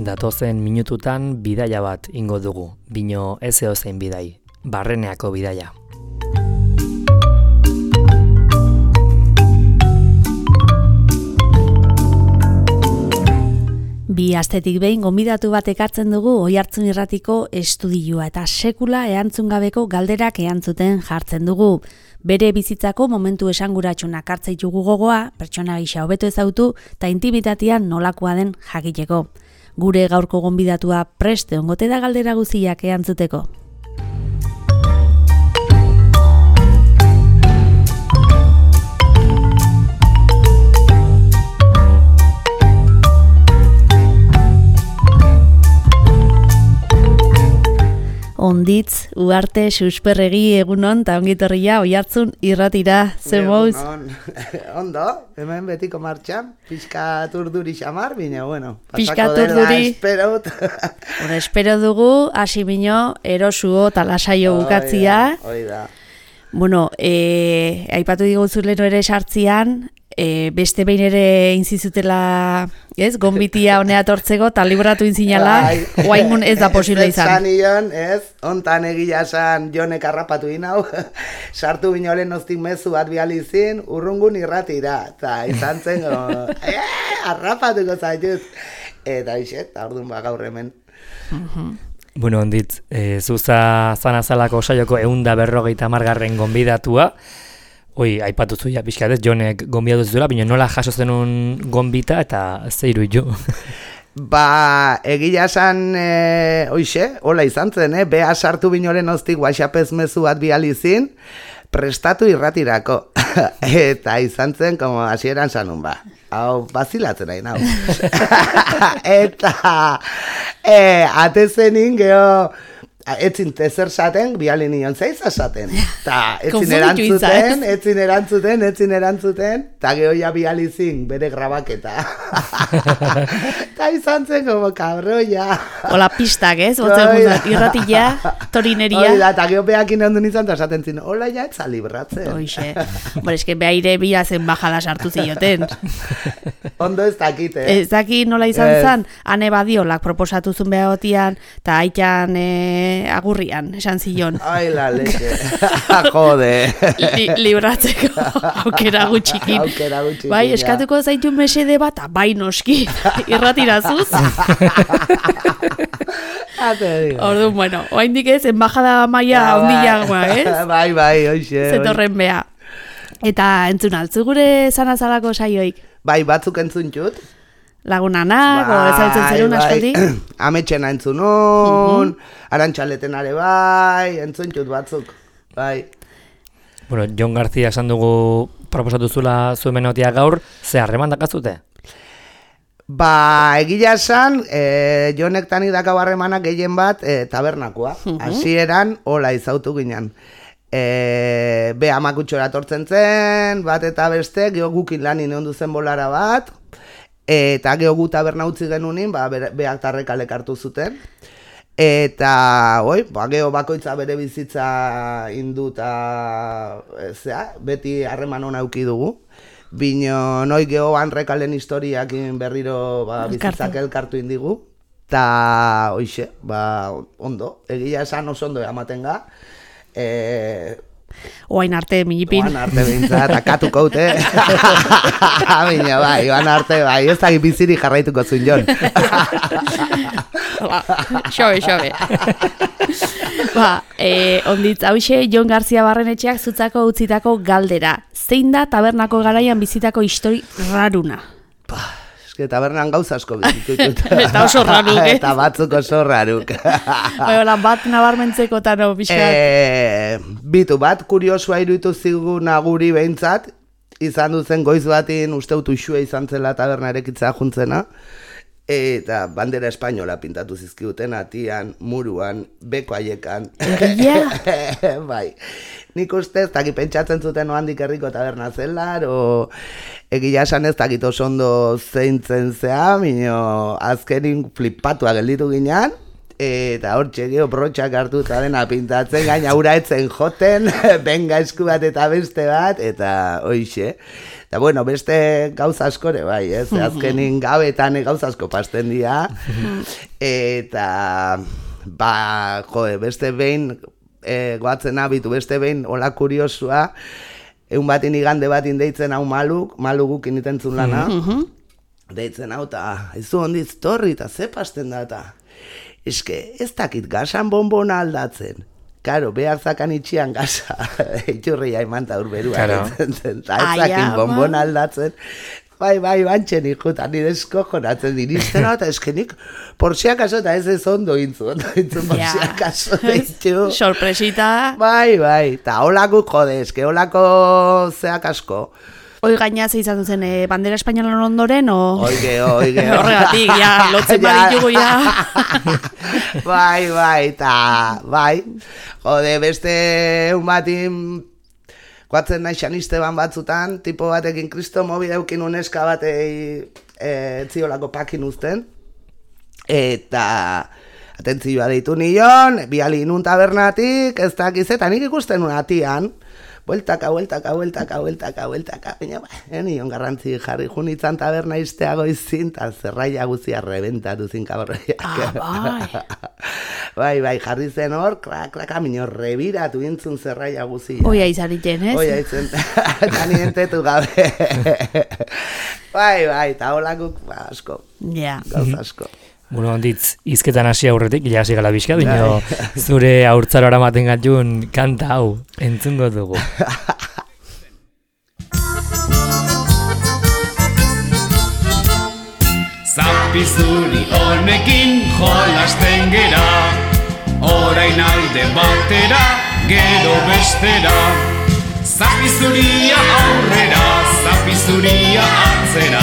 Datozen minututan bidaia bat ingo dugu, bino ez edozein bidai, Barreneako bidaia. Bi astetik behin gonbidatu bat ekartzen dugu Oihartzun Irratiko estudioa eta sekula erantzun gabeko galderak erantzuten jartzen dugu. Bere bizitzako momentu esanguratsunak hartzen ditugu gogoa, pertsona gisa hobeto ezagutu eta intimitatean nolakoa den jakiteko. Gure gaurko gonbidatua prest egongote da galdera guztiak erantzuteko. Onditz, Uarte, Susperregi, egunon, eta ongitorria, Oihartzun Irratira, ze mouz? Ondo, hemen betiko martxan, pixkat urduri xamar, bine, bueno, pasako dela, espero dugu, hasi bino, erosuo, talasaio bukatzia. Oida. Bueno, aipatu digutzu leno ere sartzian, beste behin ere inzizutela, gonbitia honea tortzeko, eta libratu inzinala, oaingun ez da posible izan. Ez zanion, ontan egia esan jonek harrapatu inau, sartu binolen oztik mezu bat bializin, urrungun irratira, eta izan zen, harrapatuko zaitut, eta ixet, orduan gaur hemen. Bueno, onditz, zuza zanazalako saioko 150. gonbidatua, aipatu zuia pixkat ez, Jonek gonbidatu zuela, baina nola jaso zenun gonbita eta zeiru jo? Ba, egia esan, hola izan zen, beha sartu binolen oztik WhatsAppez mezu bat bializin, prestatu irratirako. Eta izan zen, como hasieran sanun, hau bazilatzen nahi nau. Eta, atezenin geho, etzin tezer saten, bialin nion zeiz asaten. Ta, etzin erantzuten, eta gehoia bializin bere grabaketa. Ta izan zen, como cabroia. Hola pistak, ez? Irratilla, torineria. Oida, eta geho behakin ondun izan, eta esaten zin, hola ja, etza libratzen. Oixe, eske behaire bilazen bajada sartu zioten. Ondo ez dakite. Ez dakit nola izan zan, ane badiolak proposatu zuen behagotian, eta aitan agurrian, esan zion. Ai, la leche. Jode. Libratzeko aukera gutxikin. Bai, eskatuko zaitu mesede bat, bai noski, irratirazuz. Orduan, bueno, oaindik ez, embajada maia handiagoa, ez? Bai, hoxe. Zetorren beha. Eta entzun altzu gure zanazalako saioik? Bai, batzuk entzun txut. Lagunanak, ezautzen zerun askotik? Ametxena entzunun, Arantxaleten are bai, entzuntxut batzuk, bai. Bueno, Jon García esan dugu proposatu zula zuen menotia gaur, ze harreman dakazute? Ba, egila esan, Jonek tanik dakau harremanak gehien bat tabernakoa. Hasieran hola izautu ginen. Be amakutxora tortzen zen, bat eta beste, geho gukin lanin egon duzen bolara bat, eta geho gu taberna utzi genunin, beak tarrekalek hartu zuten. Eta, geho bakoitza bere bizitza induta, beti harreman hona auki dugu. Bino, noi geho hanrekalen historiak berriro bizitzak elkartu indigu. Ta, hoixe, ondo, egia esan oso ondo ematen ga. Oain arte, minipin. Oain arte bintzat, akatuko haute. Bina, oain arte, ez da biziri jarraituko zuen, Jon. Xobe. Onditz, hauxe, Jon García Barrenetxeak zutzako utzitako galdera. Zein da tabernako garaian bizitako histori raruna? Tabernan gauza asko bizitut. Eta oso raruk, Eta batzuk oso raruk. Bat nabarmentzeko eta no, pixkat. Bitu bat, kuriosua iruditu ziguna guri behintzat, izan duzen goiz batin usteutu isua izan zela taberna erekitzea juntzena, eta bandera espainola pintatu zizkiuten, atian, muruan, beko haiekan. Bai. Nik uste ez dakit pentsatzen zuten oandik herriko taberna zela, egia esan ez dakit oso ondo zeintzen zea, azkenin flippatua gelditu ginean, eta hor txegio brotxak hartuta dena pintatzen, gaina ura etzen joten, benga esku bat eta beste bat, eta hoixe. Eta bueno, beste gauza askore bai, azkenin gabetan gauza asko pasten dira, eta beste behin, goatzen abitu, beste behin, hola kuriosua, egun batin igande batin deitzen hau maluguk initentzun lana, deitzen hau, eta izu ondiz torri, eta ze pasten da, eta eske, ez dakit gasan bonbona aldatzen. Karo, behar zakan itxian gaza, itxurria imanta urberua. Claro. Ez zakin bonbona aldatzen. Bai, bantxen ikutan, nire eskojonatzen diristen, eta eskenik, por si acaso, eta ez ondo intzun, por si acaso, deitu. Sorpresita. Bai, eta holako jode, eske holako zeak asko. Hoi gaina ze izan duzen, bandera espainolan ondoren, o... Oige. Horregatik, ja, lotzen baditugu, ja. Bai, bai. Jode, beste un batin, guatzen nahi xanisteban batzutan, tipo batekin kristo mobi daukin uneska batei etziolako pakin uzten, eta atentzioa deitu nion, biali nun tabernatik, ez dakizetan, nik ikusten unatian, bueltaka, baina nion garrantzi jarri junitzan taberna iztea goizin, eta zerraia guzia rebentatu zin kaborreiak. Bai, jarri zen hor, klaka, minor rebiratu intzun zerraia guzia. Oia izariten, ez? Oia izan, eta nientetu gabe. Bai, eta holakuk, asko, gauza asko. Bueno, onditz, izketan hasi aurretik, ja hasi gala bizka, bino zure haurtzaro aramaten gatun kanta hau, entzungo dugu. Zapizuri honekin jolasten gera, orain alde batera, gero bestera. Zapizuria aurrera, zapizuria atzera,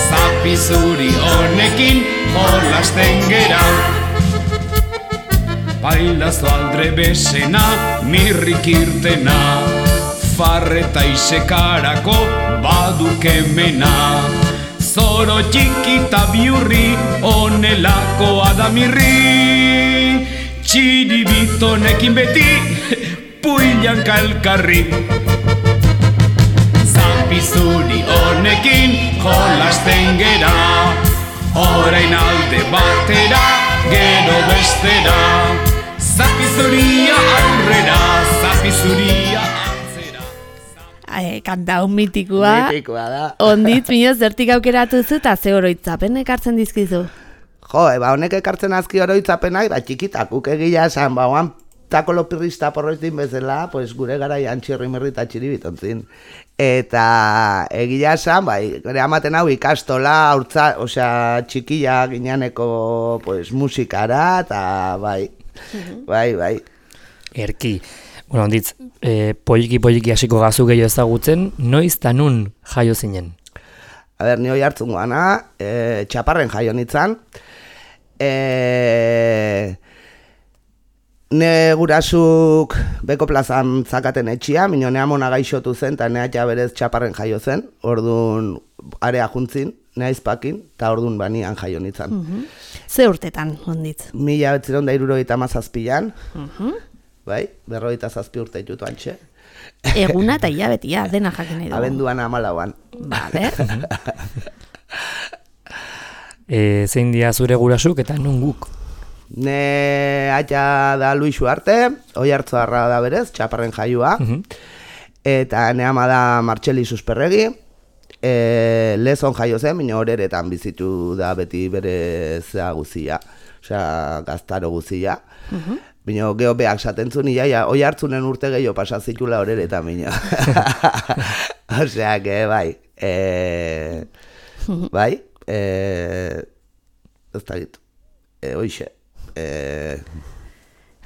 zapizuri honekin jolasten gera. Bailazo aldre besena, mirrik irtena, farreta isekarako badukemena. Zoro txikita biurri, onelakoa da mirri, txiribitonekin beti, puilan kalkarri. Zapizuri honekin jolasten gera, orain alde batera, gero bestera. Zapizuria aurrera, zapizuria atzera. Kanta hon mitikoa. Mitikoa da. Onditz, mioz, zertik aukeratu zu eta ze oroitzapen ekartzen dizkizu? Jo, honek ekartzen azki oroitzapenak, txikitakuk egia esan, oan takolopirrista porroitin bezala, pues gure garaian txirrimerri eta txiribitontzin. Eta egia esan, gure amaten hau ikastola, osea, txikila gineaneko pues, musikara, eta bai. Erki. Bueno, onditz, poliki hasiko gazu gehiago ezagutzen, noiz eta nun jaio zinen? A ber, ni hoi hartzun guana, Txaparren jaio nitzan. Ne gurasuk beko plazan zakaten etxia, mino nea mona gaixotu zen, eta nea berez Txaparren jaio zen, orduan area juntzin, nea izpakin, eta orduan banian jaio nitzan. Ze urtetan, onditz? 1977an, bai, 47 urte jutu antxe. Eguna eta hilabetia, dena jakin nahi dugu. Abenduan 14an. Vale. Zein dia zure gurasuk eta nun guk? Ne aita da Luisu arte, oi hartzoarra da berez, Txaparren jaioa. Eta ne ama da Martxeli Susperregi. Lezon jaio zen, minio horeretan bizitu da beti bere zea guzia. Osea, gaztaro guzia. Bino, geho behak satentzun, oi hartzunen urte gehiago pasazitula horeretan, bino. Osea, que bai. Bai, ez da gitu. Hoixe.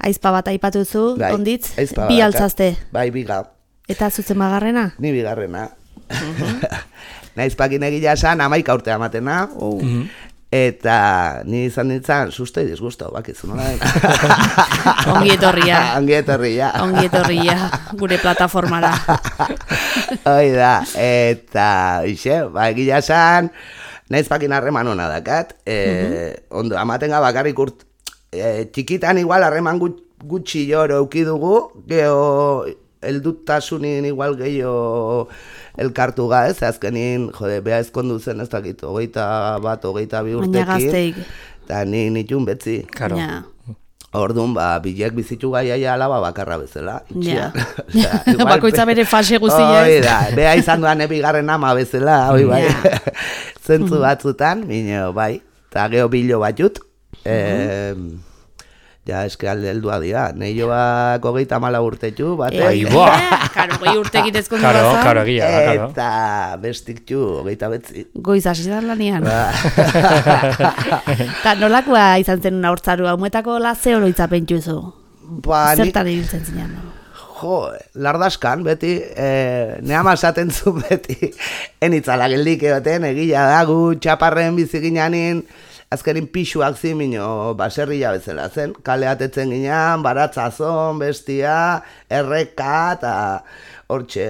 Aizpa bat aipatuzu, Bai, onditz, aizpa bi bat, altzazte. Bai, biga. Eta zuzen bagarrena? Ni bigarrena. Naizpakin egila esan, 11 urte amatena. Eta ni izan nintzen, susto y disgusto, bakizu nola dena. Ongi etorria. Ongi etorria. Ongi etorria, gure plataformara. Hoi da, eta, ixe, egila esan, naizpakin harreman hona dakat. Ondo, amatenga bakarrik txikitan igual harreman gutxi joro eukidugu, geho heldutasunin igual gehiago elkartu ez, azkenin, beha ezkondu zen ez dakit, 21, 22 urtekin. Baina gazteik. Eta nitun betzi. Karo. Ja. Orduan, bilek bizitu gaiaia alaba bakarra bezala. Ja. Bakoitza bere fase guztia. Hoi da, beha izan duan bigarren ama bezala, hoi bai. Zentzu batzutan, minio, bai. Eta geho bilo batut. Ja, eske heldua dira. Neioak 34 urtetxu, bate. Karo, 20 urtekit ezkondu bazan. Karo, egia da, karo. Eta bestiktu, 29. Goiz hasi da lanian. Eta nolakoa izan zen una hortzaru, haumetako laze oroitzapentzu zu? Zertan ibiltzen zinean? Jo, lardaskan, beti, nehama esaten zu beti, enitzala geldik egoten, egila da, gu txaparren biziginanin, azkerin pixuak zimino baserria bezala zen, kaleatetzen ginean, baratzazon, bestia, erreka, eta hortxe,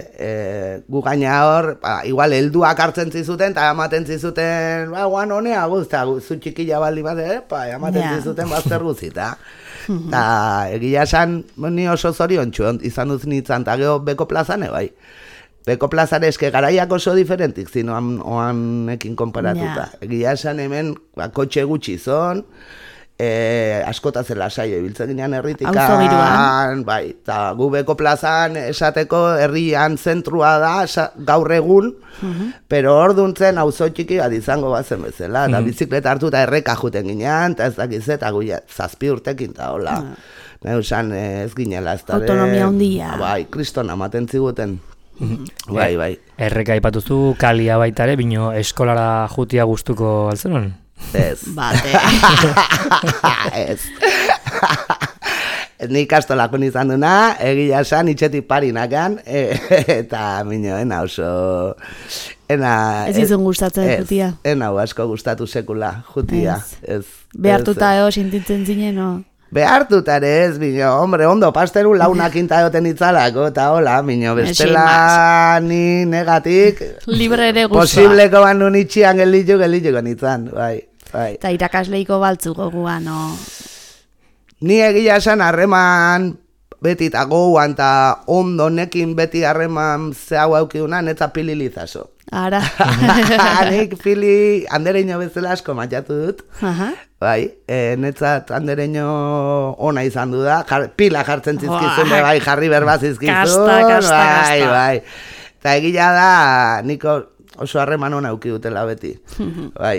gu gaina hor, igual helduak hartzen zizuten, eta ematen zizuten, guan honea guzta, zu txikila baldi bat, ematen zizuten bazter guzita. Eta egia esan, ni oso zoriontxu izan duz nintzen, eta geho Beko plazane bai. Beko plazare eske garaiak oso diferentik zinoan oanekin konparatuta. Egia esan hemen kotxe gutxi zon, askotaz lasai ibiltzen ginean herritikan, bai, eta gu Beko plazan esateko herrian zentrua da gaur egun, pero orduntzen auzo txiki bat izango bazen bezala, eta bizikleta hartu eta erreka juten ginean, eta ez dakiz eta gu 7 urtekin eta hola. Neusan ez ginela ez da. Autonomia handia. Bai, kriston amaten ziguten. Bai. Erreka aipatuzu kalia baita ere, bino eskolara jutia gustuko altzenon? Ez. Bate. Ez. Ni ikastolakon izan duna, egia esan itxetik parinakan, eta minoena oso... Ez izun gustatzen jutia? Ena asko gustatu sekula jutia. Behartuta sintitzen zinen, no? Behartutare ez, bino, hombre, ondo, pasteru launak inta egoten itzalako, eta hola, bino, bestela ni negatik, libre ere guztua. Posibleko ban nun itxian gelituko nitzan, bai. Eta irakasleiko baltzu goguan, no? Ni egia esan harreman beti eta gouan, eta ondo nekin beti harreman zehau aukidunan, eta pililizazo. Ara. Nik pili andereño bezala asko matxatu dut. Bai, netzat andereño ona izan du da, pila jartzen zizkizun, bai, jarri berbaz zizkizun, bai. Eta egila da, niko oso harreman ona auki dutela beti, bai.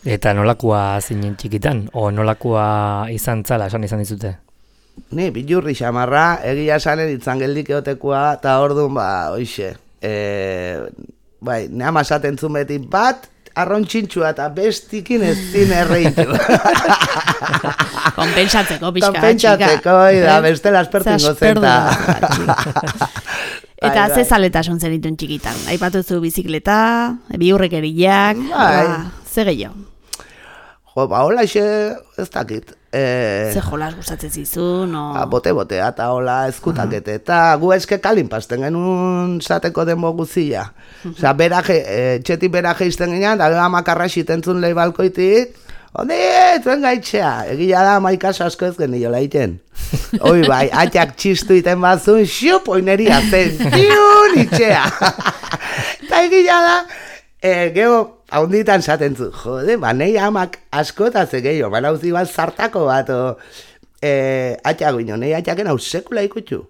Eta nolakoa zinen txikitan, o nolakoa izan zala, esan izan dizute? Ni, bilurri xamarra, egia esanen itzan geldik egotekoa, eta orduan, hoxe, bai, nehama esaten zuen beti bat, arrontxintxua eta bestikin ez zin erreitu. Konpentsatzeko, pixka, Konpentsatzeko, da, bestela aspertingo zenta. Eta ze zaletasun zenitun txikitan? Aipatuzu bizikleta, biurrekeriak, ze gehiago? Jo, hola ez dakit. Ze jolas gustatzen zizun, no? Bote-botea, eta hola ezkutakete. Eta gu eske kalin pasten genuen zateko denbo guzia. Osea, txetik beraje izten ginean, da gero amakarra xitentzun lehi balkoitik, zuen gaitxea. Egia da, maikaso asko ez geniola iten. Hoi bai, atxak txistu iten bazun, xup, oineria zen, tiun itxea. Eta egia da, geho, haunditan zaten zu, jode, nahi amak askotaz gehiago, uzi bat zartako bat, atxak bino, nahi atxaken hau sekula ikutxu.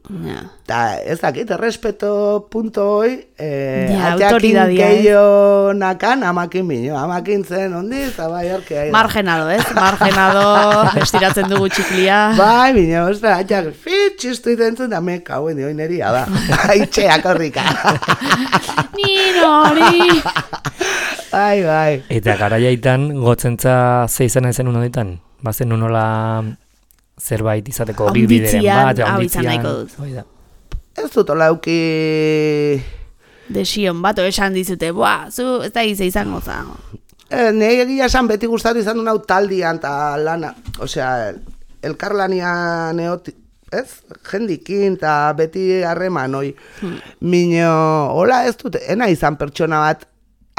Eta ez dakit, errespeto punto hoi, atxakin gehiago nakan, amakin bino, amakin zen, ondi, eta bai horkea. Margenado, ez? Margenado, estiratzen dugu txiklia. Bai, bino, ostra, atxak, txistu iten zuen, da meka, huen dioin eria da, haitxeak horrika. Nori! Bai. Eta garaiaitan gotzentza ze izan ezen unoditan? Bazen unola zerbait izateko bilbideren bat, haunditzian. Ez dut hola euki... Desion bat, esan dizute, zu ez da izango za. Nei egia esan beti gustatu izan duen hau taldian eta lana, osea, elkarlanian ez? Jendikin eta beti harreman, oi. Mino, hola ez dut, ena izan pertsona bat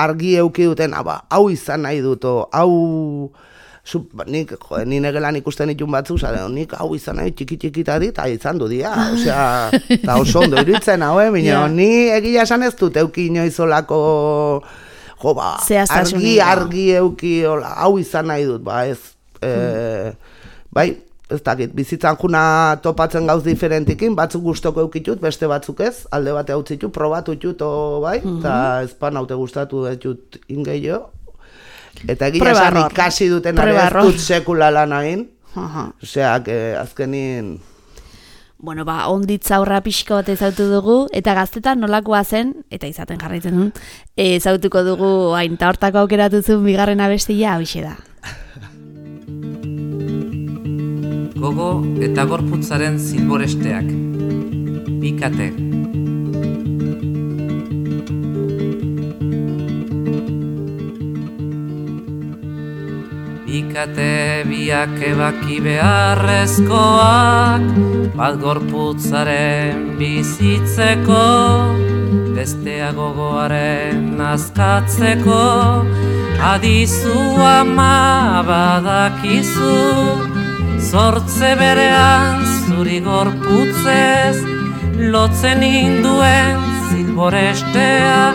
argi euki duten, hau izan nahi dut, hau Ni negelan ikusten ditun batzuk, nik hau izan nahi txiki-txikita dit, izan du dia, osea, eta oso ondo iruditzen hau, ni egia esan ez dut euki inoizolako, argi euki, hau izan nahi dut, ez, bai, ez dakit, bizitzan juna topatzen gauz diferentikin, batzuk gustoko eukitut, beste batzuk ez, alde bate hau zitut, probatu tut, bai, eta ezpan haute gustatu dut ingeio, eta egia esan ikasi duten ez dut sekula lan egin, osea, azkenin... Bueno, onditza aurra pixko bat ezautu dugu, eta gaztetan nolakoa zen, eta izaten jarraitzen dut, ezautuko dugu hainta hortako aukeratu zuen bigarren abestia, hauxe da. Gogo eta gorputzaren zilboresteak. Bikate. Bikate biak ebaki beharrezkoak, bat gorputzaren bizitzeko, bestea gogoaren azkatzeko, adizu ama badakizu, zortze berean zuri gorputzez, lotzen induen zilborestea,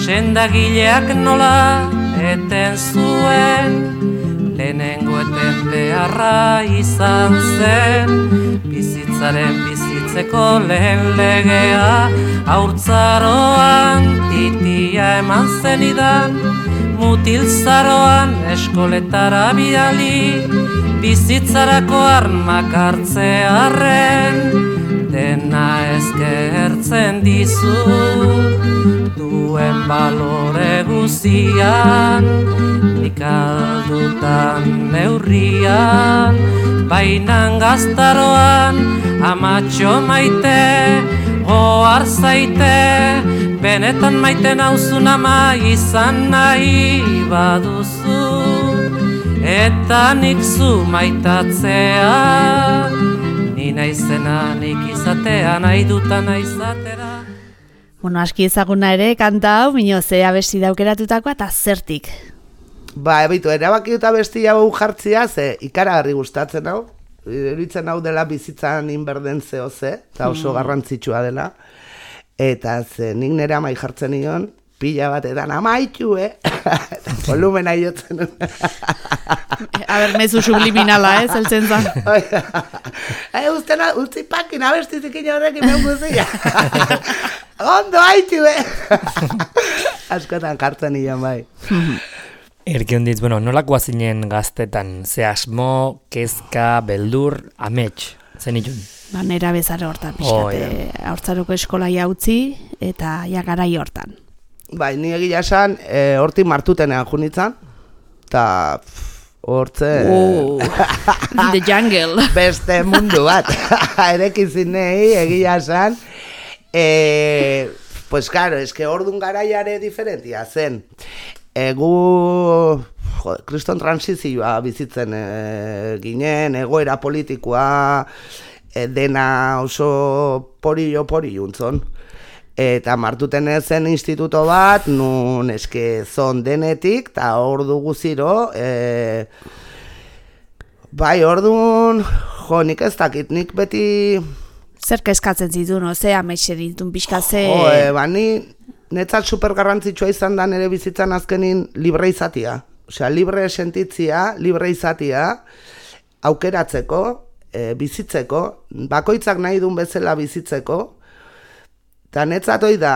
sendagileak nola eten zuen, lehenengo eten beharra izan zen, bizitzeko lehen legea, haurtzaroan titia eman zenidan, mutilzaroan eskoletara bidali, bizitzarako armak hartzearren, dena eskertzen dizu, duen balore guzian, nik aldutan neurrian, bainan gaztaroan, amatxo maite, goar zaite, benetan maite nauzun ama izan nahi baduzu, eta nik zu maitatzea, ni naizena nik izatea, nahi dutan izatera. Bueno, aski ezaguna ere, kanta hau, minio ze abesti daukeratutakoa eta zertik. Ebitu, erabaki dut abesti hau jartzia, ze ikaragarri gustatzen hau, iruditzen hau dela bizitzan inberden zeo ze, eta oso garrantzitsua dela, eta ze nik nire amai jartzen nion, pila bat edan amaitu, volumena iotzen. Mezu subliminala, zeltzen zan. Utzi pakin abestizikin horrekin behun guzia. Ondo haitu, askotan jartzen nion, bai. Erkionditz, nolakoa zinen gaztetan, ze asmo, kezka, beldur, amets, zen itun? Nera bezare hortan, pixkate, haurtzaroko eskolai utzi eta garai hortan. Bai, ni egia esan, hortik martutenean junitzen, eta hortze... The jungle. Beste mundu bat, erekin nahi egia esan, pues claro, es que ordun garaiare diferentia zen. Kriston transizioa bizitzen ginen, egoera politikoa, dena oso porillo-untzon. Eta martuten zen instituto bat, nun eske zon denetik, eta ordu guziro, bai, ordun, nik ez dakit, nik beti... Zer kezkatzen zituen, ze ametxe ditun pixka ze... Ni netzat super garrantzitsua izan da nire bizitzan azkenin libre izatia. Osea, libre sentitzia, libre izatia, aukeratzeko, bizitzeko, bakoitzak nahi duen bezala bizitzeko, eta netzat hoi da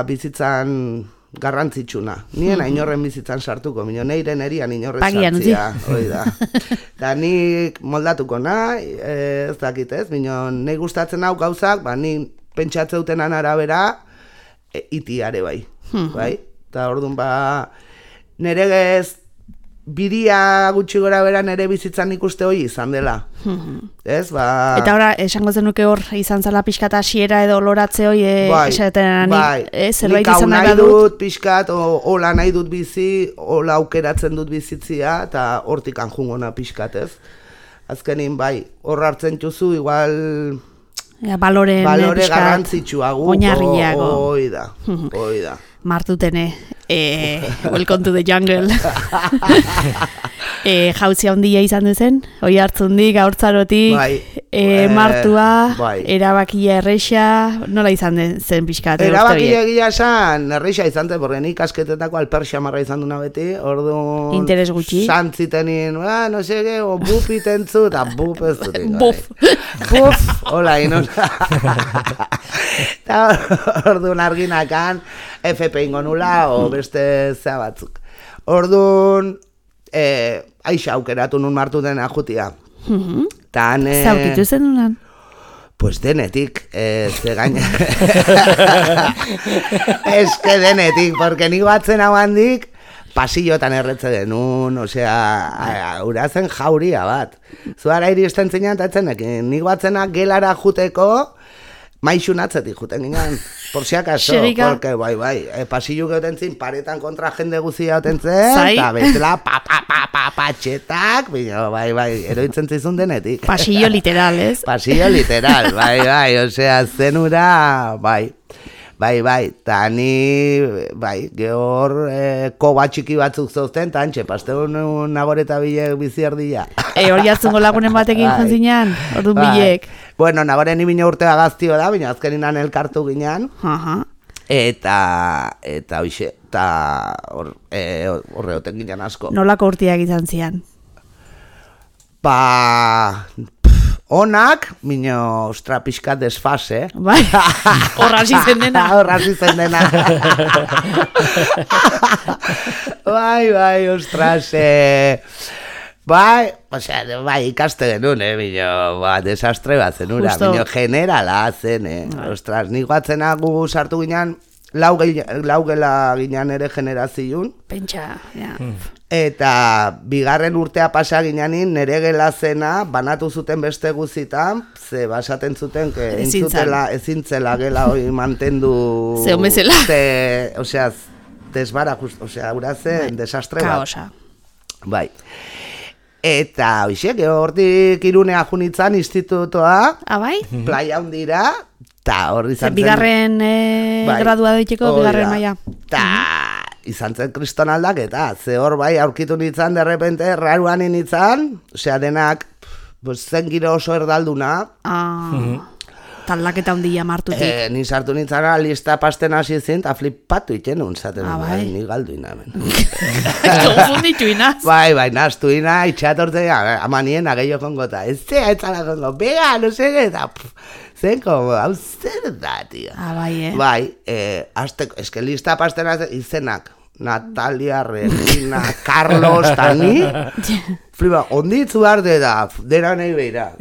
bizitzan garrantzitsuna. Nien inorren bizitzan sartuko, neiren erian inorren sartzia. Hoi da. Eta nik moldatuko nahi, ez dakit ez, nahi gustatzen hau gauzak, ni pentsatzeuten arabera, itiare bai. Eta orduan nire biria gutxi gora bera nire bizitzan ikuste hori izan dela. Eta ora, esango zenuke hor izan zala pixkat hasiera edo loratze hori esaten zerbait izan nahi dut pixkat, hola nahi dut bizi, hola aukeratzen dut bizitzia, eta hortik anjungona pixkat, ez? Azkenin bai, hor hartzen duzu, igual... Balore garrantzitsuago, hoi da. Martutene, welcome to the jungle. Jauzi handia izan duzen, oi hartzundik, haurtzarotik, martua, erabakia erreixa, nola izan zen pixkat? Erabakia egia esan, erreixa izan zen, porque nik asketetako alperxa marra izan duna beti, orduan... Interes gutxi. Santzitenin, no sege, o buf itentzu, eta buf ez dutik. Buf. Buf, hola, inon. Eta orduan arginakan, FP ingo nula, o beste zea batzuk. Orduan... aixa aukeratu nun martu dena jutia. Zaukitu zen unan? Pues denetik, ze gaina. Ez que denetik, porque nik batzen hau handik, pasillotan erretze denun, osea, urazen jauria bat. Zuara iristen zinean, eta etzenekin, nik batzenak gelara juteko, maixun atzetik juten ginen, por si acaso, porque bai, pasillo geuten zin, paretan kontra jende guzia gauten zen, eta betela patxetak, bai, eroitzen zizun denetik. Pasillo literal, ez? Pasillo literal, bai, osea, zenura, bai, eta ni, gehor koba txiki batzuk zauzten, eta antxe, pasteun nagoreta bilek bizi erdia. Hori hartzungo lagunen batekin jonzinean, orduan bilek. Bueno, nagoren ibina urtea gaztio da, baina azkeninan elkartu ginean, eta hoxe, eta horreoten ginean asko. Nolako urteak izan zian? Onak, minio, ostra, pixkat desfase. Bai, horraz izen dena. Horraz izen dena. Bai, ostras, bai, ikaste genuen, minio, desastre bat zenura, minio, generala zen, ostras, nik batzena gu sartu ginen, lau gela ginen ere generazioun. Pentsa, ja. Eta bigarren urtea pasa gineanin, nere gela zena, banatu zuten beste guzitan, ze basaten zuten, ezintzela gela hori mantendu... Ze homezela. Osea, desbara, osea, urazen, desastre bat. Kaosa. Bai. Eta, hoxe, hortik Irunea junitzan institutoa, bai? Playa hundira, eta horri izan zen... Bigarren gradua doiteko, bigarren maila. Eta... izan zen kriston aldaketa, ze hor bai aurkitu nintzen, derrepente, raruan nintzen, osea, denak, zen giro oso erdalduna. Taldaketa handia martutik. Ni sartu nintzen, lista pasten hasi zen, eta flipatu itxenun, zaten, ni galdu inamen. Konfunditu inaz. Bai, naztu ina, itxatortzen, amanien ageio kongota, ez zea, etzala kongo, bega, no sege, eta... Zenko, hau zer da, tio. Bai, eske lista pastena izenak, Natalia, Regina, Carlos, tani, fliba, onditzu arde da, dena nahi behira.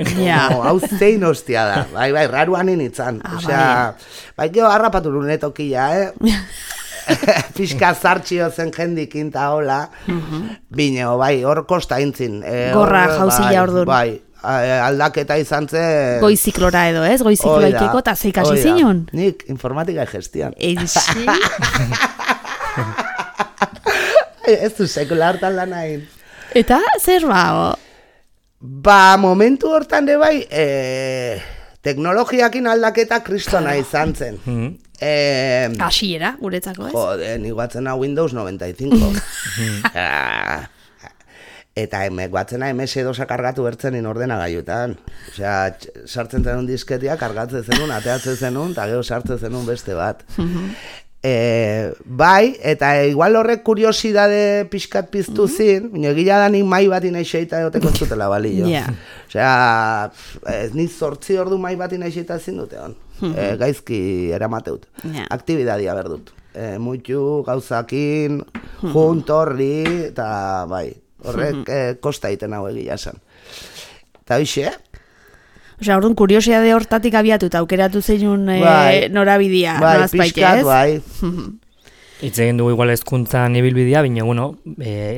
Hau zein hostia da, bai, raruan initzan. Osea, bai, jo, harrapatu lunetokia, pixka zartxio zen jendikin ta hola, bine, bai, hor kosta intzin. Gorra jauzila orduan. Bai, aldaketa izan zen... Goiziklora edo, ez? Goizikloa ikeko eta zeikasi zinun? Nik informatika gestian. Eixi? Ez du sekula hartan lan hain. Eta zer bao? Momentu hortan de bai, teknologiakin aldaketa kristona izan zen. Hasiera, guretzako, ez? Jode, nik batzena Windows 95. Eta batzena MS-2 kargatu bertzenin ordenagailutan. Osea, sartzen zenun disketia, kargatzen zenun, ateatzen zenun, eta gero sartzen zenun beste bat. Bai, eta igual horrek kuriosidade pixkat piztu zin, egila da nik mai bat inaizeita egoteko zutela balillo. Osea, ni 8 ordu mai bat inaizeita zin dute hon. Gaizki eramateut. Aktibidadia berdut. Muitu, gauzakin, juntorri, eta bai. Horrek kosta egiten hau egia esan. Eta hoxe? Osea, orduan kuriosidade hortatik abiatuta, aukeratu zeinun norabidea. Bai, pixkat, bai. Hitz egin dugu igual hezkuntzan ibilbidea, baina,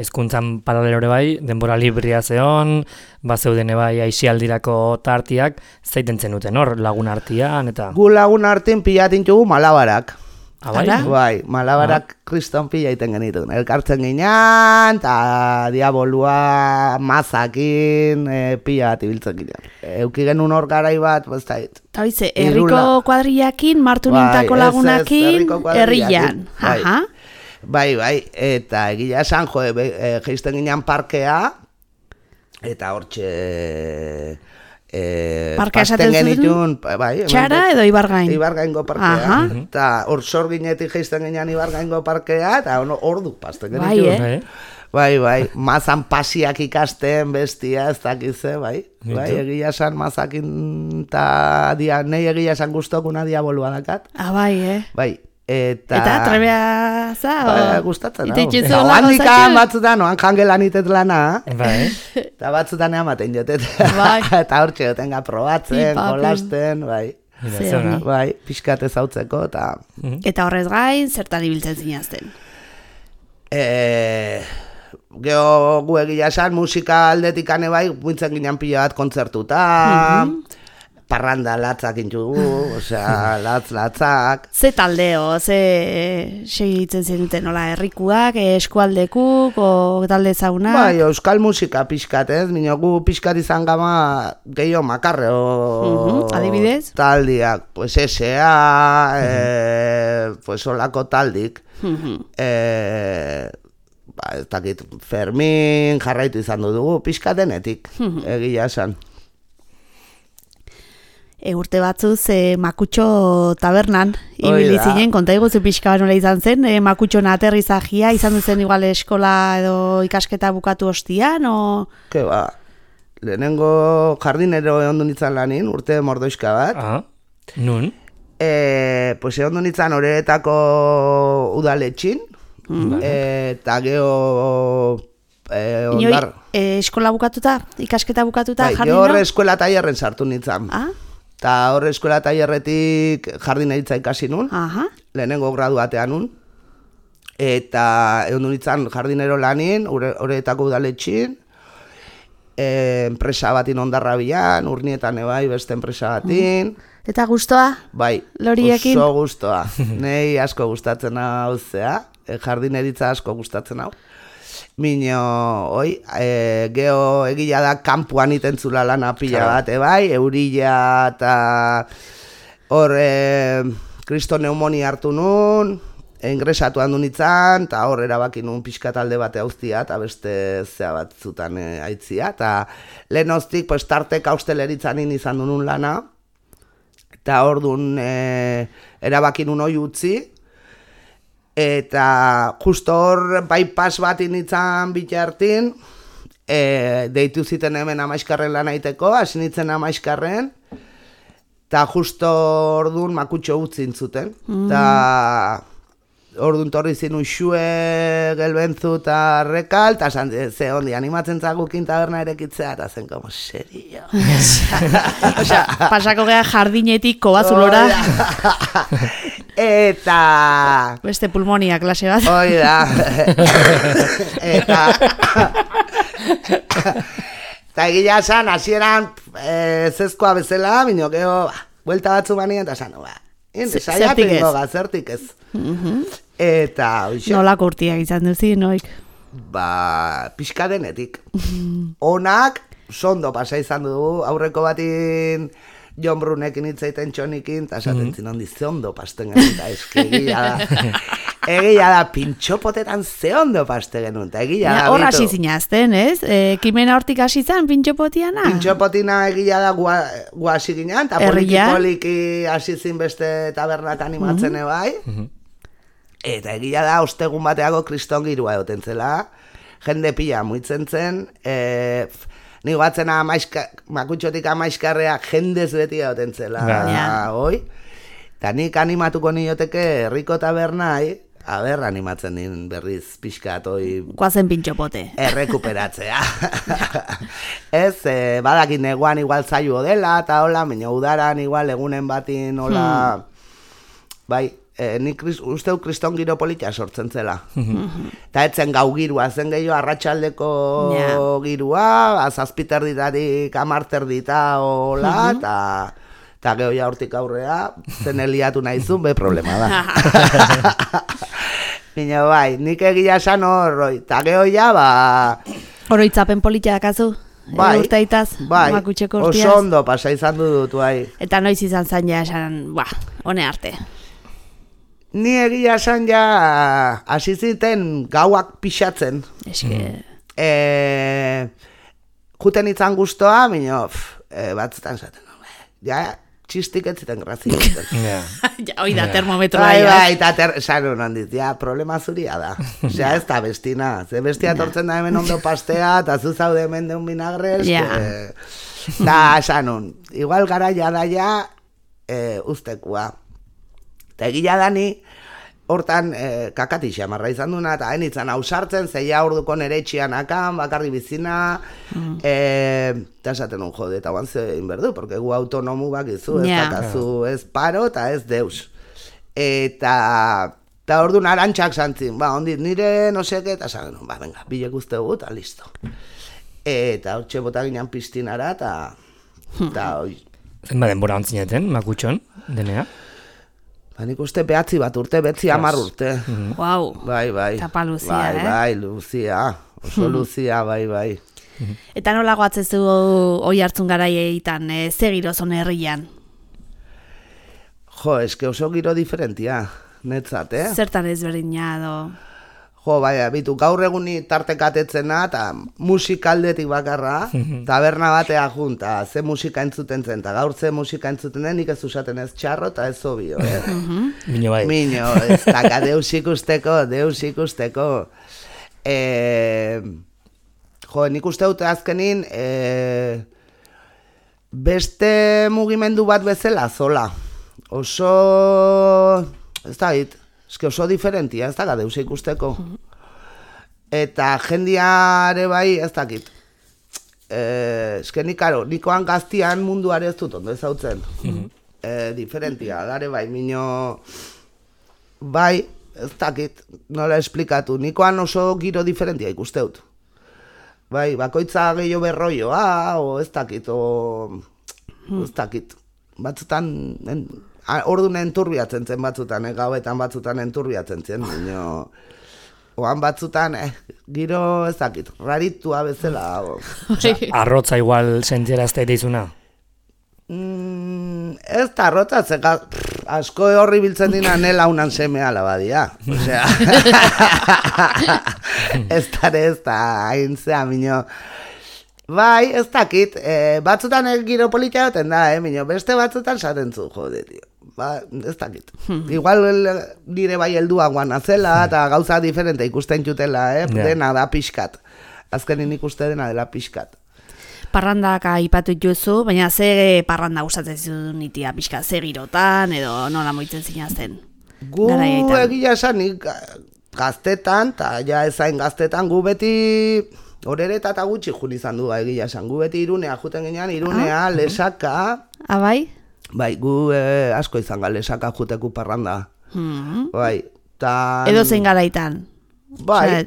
hezkuntzan paralelore bai, denbora libria zeon, bazeudene bai aixialdirako tartiak, zeiten zenuten hor, lagun artian, eta... Gu lagun artien pilatintugu malabarak. Bai, malabarak kriston pila iten genitun. Elkartzen ginean, eta diabolua mazakin pila bat ibiltzen ginean. Euki genuen hor garai bat, bostait. Eta bize, herriko kuadriakin, martu nintako lagunakin, herrian. Bai, eta egia esan, geizten ginean parkea, eta hortxe Parka esaten genitun, bai, Txara edo Ibargain? Ibargaingo parkea, eta hor sorginetik jaisten ginean Ibargaingo parkea, eta ordu pasten genitun. Bai, mazan pasiak ikasten bestia, ez dakize, bai, egia esan mazakin eta nahi egia esan guztokuna diabolua dakat. Bai, Bai. Eta trebea za? Gustatzen hau. Eta handikan batzutan, oan jangelan itet lana. Eta batzutan ematen jotet. Eta hortxe jotenga probatzen, kolasten, bai. Bai, pixkat ezautzeko. Eta horrez gain, zertan ibiltzen zinazten? Geho gu egia esan, musika aldetik ane bai, buintzen ginen pila bat kontzertuta. Parranda latzak intugu, osea, latzak. Ze taldeo, ze segitzen zenuten, nola, herrikuak, eskualdekuk, o talde zauna? Bai, euskal musika pixkat, ez? Mino gu pixkat izan gama gehiago makarre, adibidez? Taldiak, pues S.A., pues olako taldik. Ez dakit, Fermin jarraitu izan dugu, pixkat denetik, egia esan. Urte batzuz Makutxo tabernan ibili zinen, konta iguzu pixka nola izan zen, Makutxon aterrizagia izan duzen igual eskola edo ikasketa bukatu ostian, o? Ke ba, lehenengo jardinero egon du nintzen lanin, urte mordoizka bat. Nun? Pues egon du nintzen Oreretako udaletxin, eta geho ondar. Eskola bukatuta, ikasketa bukatuta jardina? Bai, horre eskola taierren sartu nintzen. Eta horre eskola taierretik jardineritza ikasi nun, lehenengo graduatean nun, eta egon du nintzen jardinero lanin, Oreretako udaletxin, enpresa batin ondarra bilan, Urnietan ebai beste enpresa batin. Eta gustoa? Bai, Loriekin? oso gustoa. Nei asko gustatzen hau zea, jardineritza asko gustatzen hau. Mino, geho egila da kanpuan itentzula lana pila bat, bai, eurila eta hor kristo pneumonia hartu nun, ingresatu handu nintzen, eta hor erabaki nun pixka talde bate hauztia, eta beste zea batzutan aitzia, eta lehen hoztik, pues, tarteka hosteleritzanin izan du nun lana, eta hor dun erabaki nun hoi utzi, eta justo hor bypass bat initzan bitartin, deitu ziten hemen Amaizkarren lan aiteko, hasi nintzen Amaizkarren, eta justo hor dun Makutxo utzin zuten, eta orduan torri zin Uxue, Gelbentzu eta Rekal, eta ze hondi, animatzen zagukin taberna erekitzea, eta zen como serio. Osea, pasako gea jardinetik kobazulora. Eta... Beste pulmonia klase bat. Hoi da. Eta egila esan, hasieran zezkoa bezala, minio geho, buelta batzu banien, eta esan, zertik ez. Zertik ez. Eta, oixe. Nolako urtiak izan duzi, noik? Pixka denetik. Onak, sondo pasa izan dugu, aurreko batin Jon Brunekin hitzaiten txonikin, eta esaten zinondi ze ondo pasten genuen, eta eski egia da, pintxopotetan ze ondo paste genuen, eta egia da. Hor hasi zinazten, ez? Kimena hortik hasi zan, pintxopotiana? Pintxopotina egia da gu hasi ginean, eta poliki hasi zin beste tabernak animatzen ebai. Eta egia da, ostegun bateago kriston girua egoten zela, jende pila muitzen zen, nigo batzena Makutxotik Amaizkarrea jendez beti egoten zela, hoi. Eta nik animatuko nioteke herriko tabernai, animatzen din berriz pixkat, hoi... Guazen pintxopote. Errekuperatzea. Ez, badakin neguan igual zailo dela, eta hola, baina udaran igual egunen batin, hola... Bai, nik usteu kriston giro politia sortzen zela. Eta etzen gau girua, zen gehiago arratsaldeko girua, zazpiterditatik amarterdita hola, eta geho ja hortik aurrea, zen eliatu nahizun, be problema da. Bina bai, nik egia esan horroi, eta geho ja, Oroitzapen politia dakazu? Bai, urteitaz, Makutxeko urtiaz? Oso ondo pasa izan dut, bai. Eta noiz izan zain ja esan, hone arte. Ni egia esan ja hasi ziten gauak pixatzen. Eske... juten itzan guztoa, minio, batzutan zaten, ja, txistik ez ziten grazia. Hoi da, termometroa. Bai, eta esan honan dit, ja, problema zuria da. Osea, ez da bestina. Ze bestia tortzen da hemen ondo pastea, eta zu zaude hemen deun vinagres. Da, esan hon, igual garaia daia ustekua. Eta egila dani, hortan kakatixa marra izan duna, eta hainitzen hausartzen, zeia orduko nere etxian akan, bakarri bizina, eta esaten un jode, eta guan zein berdu, porque gu autonomu bakizu, ez dakazu ez paro, eta ez deus. Eta orduan arantxak zantzin, ondit, nire no seke, eta esan, venga, bilek uste dugu, eta listo. Eta hor txebota ginen piztinara, eta hoi. Zenba denbora ontzineten, makutxon, denea? Nik uste behatzi bat urte, betzi 10 urte. Wow. Bai. Tapa luzia, Bai, luzia. Oso luzia, bai. Eta nola goatzezu hoi hartzun garaietan, ze girozon herrian? Jo, eske oso giro diferentia, netzat, Zertan ezberdina, do? Jo, bai, bitu, gaur eguni tartekatetzena, eta musikaldetik bakarra, taberna batea junta, ze musika entzuten zen, eta gaur ze musika entzuten den, nik ez usaten ez txarro, eta ez obio, Mino bai. Mino, ez daka, deus ikusteko. Jo, nik uste dute azkenin, beste mugimendu bat bezala, zola. Oso, ez da hit, eske oso diferentia, ez da deus ikusteko. Eta jendiare bai, ez dakit. Eske nikoan gaztian munduare ez dut ondo ezautzen. Diferentia, dare bai, mino, bai, ez dakit, nola esplikatu. Nikoan oso giro diferentia ikusteut. Bai, bakoitza gehiago berroioa, o ez dakit, ez dakit. Batzutan, orduan enturbiatzen zen batzutan, gauetan batzutan enturbiatzen zen, oan batzutan, giro ez dakit, raritua bezala. Arrotza igual sentierazte deizuna? Ez da arrotza, asko horri biltzen dina nela unan semea labadia. Osea, ez da, hain zea, minio. Bai, ez dakit, batzutan giro politia goten da, minio, beste batzutan saten zu, jode, tio. Ba, ez dakit. Igual nire bai heldua guana zela, eta gauza diferente ikusten jutela, dena da pixkat. Azkenin ikuste dena dela pixkat. Parrandak aipatu dituzu, baina ze parranda gustatzen zuen nitia pixka, ze girotan edo nola moitzen zinazten? Gu egia esan, gaztetan, eta ja ezain gaztetan, gu beti horereta eta gutxi jun izan du egia esan. Gu beti Irunea juten ginean, Irunea, Lesaka. Bai? Bai, gu asko izan ga Lesaka juteku parranda. Bai, edo zein garaitan? Bai,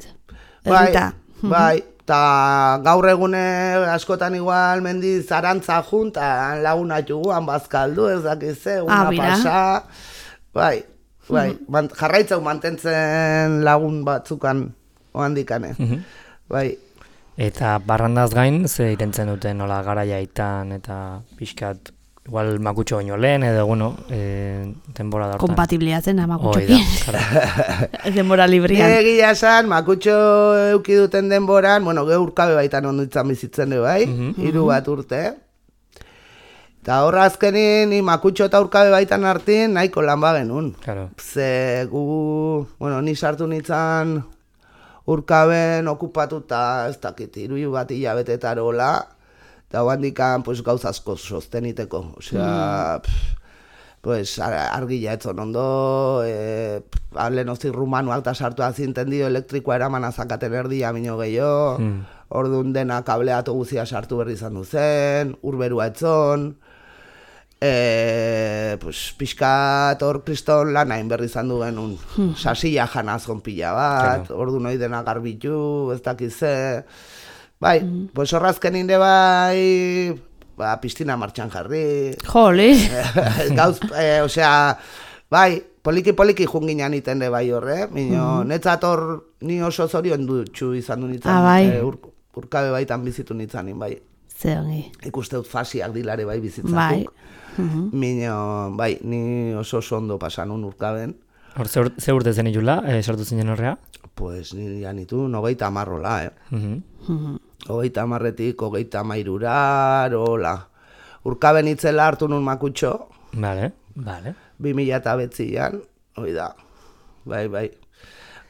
eta gaur egune askotan igual mendi zarantza junta, laguna juguan bazkaldu, ez dakize, una pasa. Bai, jarraitzau mantentzen lagun batzukan ohandikane. Bai. Eta barrandaz gain, ze itentzen duten nola garaiaitan eta pixkat, igual makutxo baino lehen, edo, bueno, denbora dartan. Kompatibliatzen makutxokin. Denbora librian. Egia esan, makutxo euki duten denboran, bueno, urkabe baitan onduitzan bizitzen du, bai? 3 bat urte. Eta horra azkenin, makutxo eta urkabe baitan hartin, nahiko lan bagenun. Claro. Ze gu, bueno, ni sartu nintzen urkaben okupatuta, ez dakit, 3 bat hilabetetarola, eta handikan pues, gauza asko sosteniteko. Osea, pues, argila etzon ondo, lehenoztik rumanuak eta sartu azinten dio elektrikoa eraman azakaten erdia mino gehiago, orduan dena kableatu guzia sartu berri izan duzen, urberua etzon, pues, pixkat hor kriston lan hain berri izan du genuen, sasilla janazon pila bat, orduan hori dena garbitu, ez dakize. Bai, pues horrazken inde bai, piztina martxan jarri. Jole! Gauz, osea, bai, poliki junginan iten de bai horre, netzat hor ni oso zorion dutxu izan du nintzen, urkabe baitan bizitu nintzanin, bai. Ze hongi. Ikuste dut fasiak dilare bai bizitzatuk. Bai, ni oso ondo pasanun urkaben. Hor, ze urte zen ilula, sartu zinen horrea? Pues ni janitu 90 marrola, 30-etik 33, hola. Urkaben itzela hartu nun makutxo. Vale. 2009an, hoi da. Bai.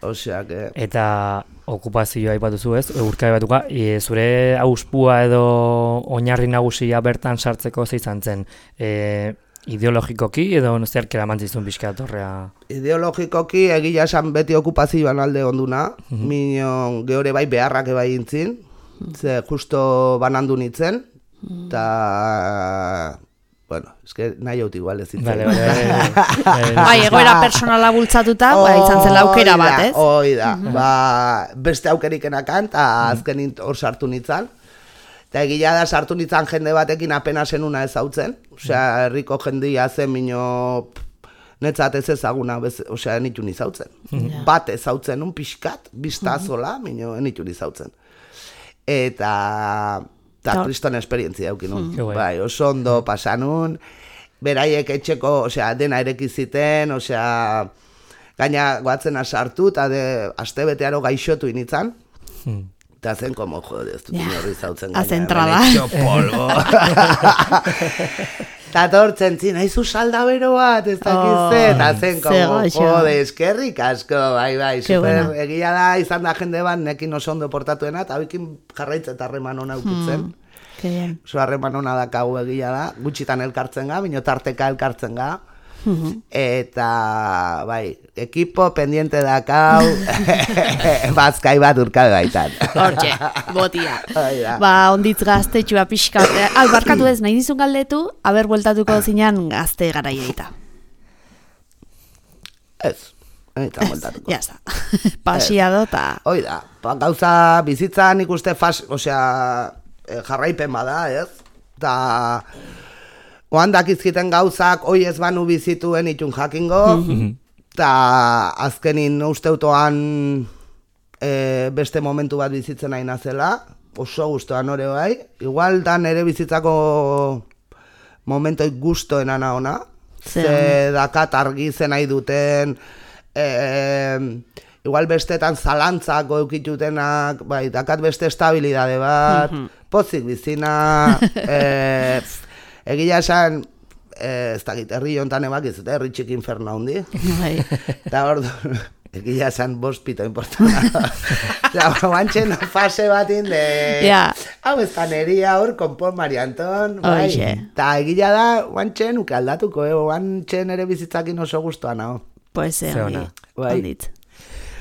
Osea, que... Eta okupazioa aipatuzu ez, urka batuka, zure auspua edo oinarri nagusia bertan sartzeko ze izan zen, ideologikoki edo zerkera mantzizun pixka torrea? Ideologikoki egia esan beti okupazioan alde onduna, minon geore bai beharrak bai intzin, ze justo banandu nintzen, eta... Bueno, eske nahi haut igual ez zitzen. Bai, egoera personala bultzatuta, izan zen aukera bat, ez? Hoi da, beste aukerikenakan, eta azkenin hor sartu nintzen. Eta egia da sartu nintzen jende batekin apenas enuna ezautzen. Osea, herriko jendia zen mino netzat ez ezaguna, osea, enitu nizautzen. Bat ezautzen un pixkat, biztazola, mino enitu nizautzen. Eta kriston esperientzia eukin nun. Bai, oso ondo pasanun, beraiek etxeko, osea, dena erekiziten, osea, gaina goatzena sartu, eta aste betearo gaixotu initzan, eta zen, como, jode, ez dut inorri zautzen gaina. Azentrada. Benetxo polvo. Eta tortzen zin, haizu salda bero bat, ez dakizte, eta zen, como, jode, eskerrik asko, bai, super, egia da, izan da jende bat, nekin oso ondo portatuena, eta bikin jarraitz eta harreman hona ukitzen. Oso harreman hona dakau egia da, gutxitan elkartzen ga, bino tarteka elkartzen ga, eta, bai, ekipo pendiente dakau, bazkai bat urkabe baitan. Hortxe, botia. Onditz gaztetxua pixka. Barkatu ez, nahi dizun galdetu, haber bueltatuko zinean gazte garaieita. Ez, eta bueltatuko. Ya está, pasiado eta... Hoi da, gauza bizitzan ikuste osea, jarraipen bada, ez? Eta... Oan dakizkiten gauzak, hoi ez banu bizituen itun jakingo, eta azkenin usteutoan beste momentu bat bizitzen nahi nazela, oso guztoan hori bai, igual da nere bizitzako momentoik guztoena ona, ze dakat argi zen nahi duten, igual bestetan zalantzak eukitutenak, bai, dakat beste estabilidade bat, pozik bizina, egia esan, ez dakit, herri jontan ebak ez, herri txik inferno handi. Eta hor, egia esan bospito importana. Guantxen fase batin de... Hau ez taneria hor, konpon Mari Anton. Eta egia da, guantxen uke aldatuko, guantxen ere bizitzakin oso guztuan hau. Pues onditz.